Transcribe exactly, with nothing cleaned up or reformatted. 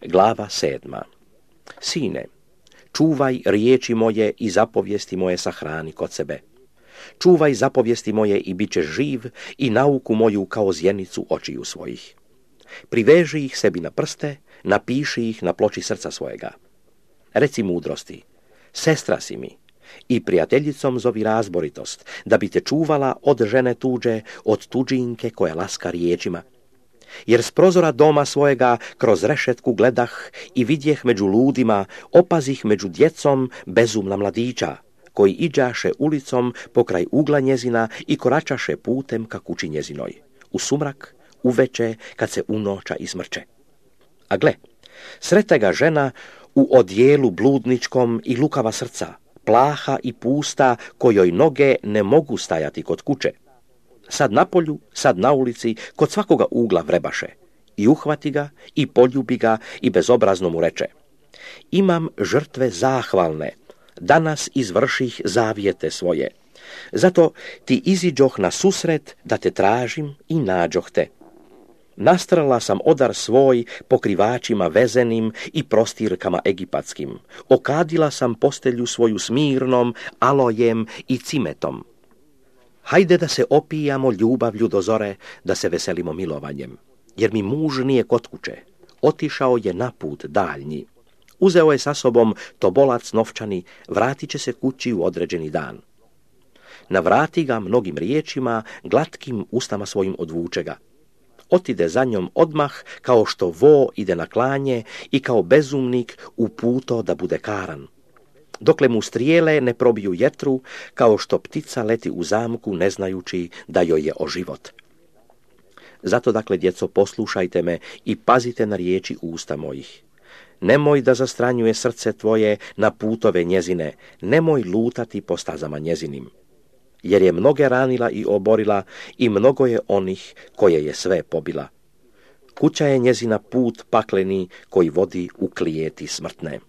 Glava sedma. Sine, čuvaj riječi moje i zapovijesti moje sahrani kod sebe. Čuvaj zapovijesti moje i bit ćeš živ i nauku moju kao zjenicu očiju svojih. Priveži ih sebi na prste, napiši ih na ploči srca svojega. Reci mudrosti, sestra si mi, i prijateljicom zovi razboritost, da bi te čuvala od žene tuđe, od tuđinke koja laska riječima. Jer s prozora doma svojega kroz rešetku gledah i vidjeh među ludima, opazih među djecom bezumna mladića, koji iđaše ulicom pokraj ugla njezina i koračaše putem ka kući njezinoj, u sumrak, uveče, kad se unoča izmrče. A gle, srete ga žena u odjelu bludničkom i lukava srca, plaha i pusta, kojoj noge ne mogu stajati kod kuće. Sad na polju, sad na ulici, kod svakoga ugla vrebaše. I uhvati ga, i poljubi ga, i bezobrazno mu reče: imam žrtve zahvalne, danas izvrših zavjete svoje. Zato ti iziđoh na susret da te tražim i nađoh te. Nastrala sam odar svoj pokrivačima vezenim i prostirkama egipatskim. Okadila sam postelju svoju smirnom, alojem i cimetom. Hajde da se opijamo ljubavlju do zore, da se veselimo milovanjem. Jer mi muž nije kod kuće. Otišao je na put daljnji. Uzeo je sa sobom tobolac novčani, vratit će se kući u određeni dan. Navrati ga mnogim riječima, glatkim ustama svojim odvuče ga. Otide za njom odmah, kao što vo ide na klanje i kao bezumnik uputo da bude karan. Dokle mu strijele ne probiju jetru, kao što ptica leti u zamku ne znajući da joj je o život. Zato, dakle, djeco, poslušajte me i pazite na riječi usta mojih. Nemoj da zastranjuje srce tvoje na putove njezine, nemoj lutati po stazama njezinim. Jer je mnoge ranila i oborila i mnogo je onih koje je sve pobila. Kuća je njezina put pakleni koji vodi u klijeti smrtne.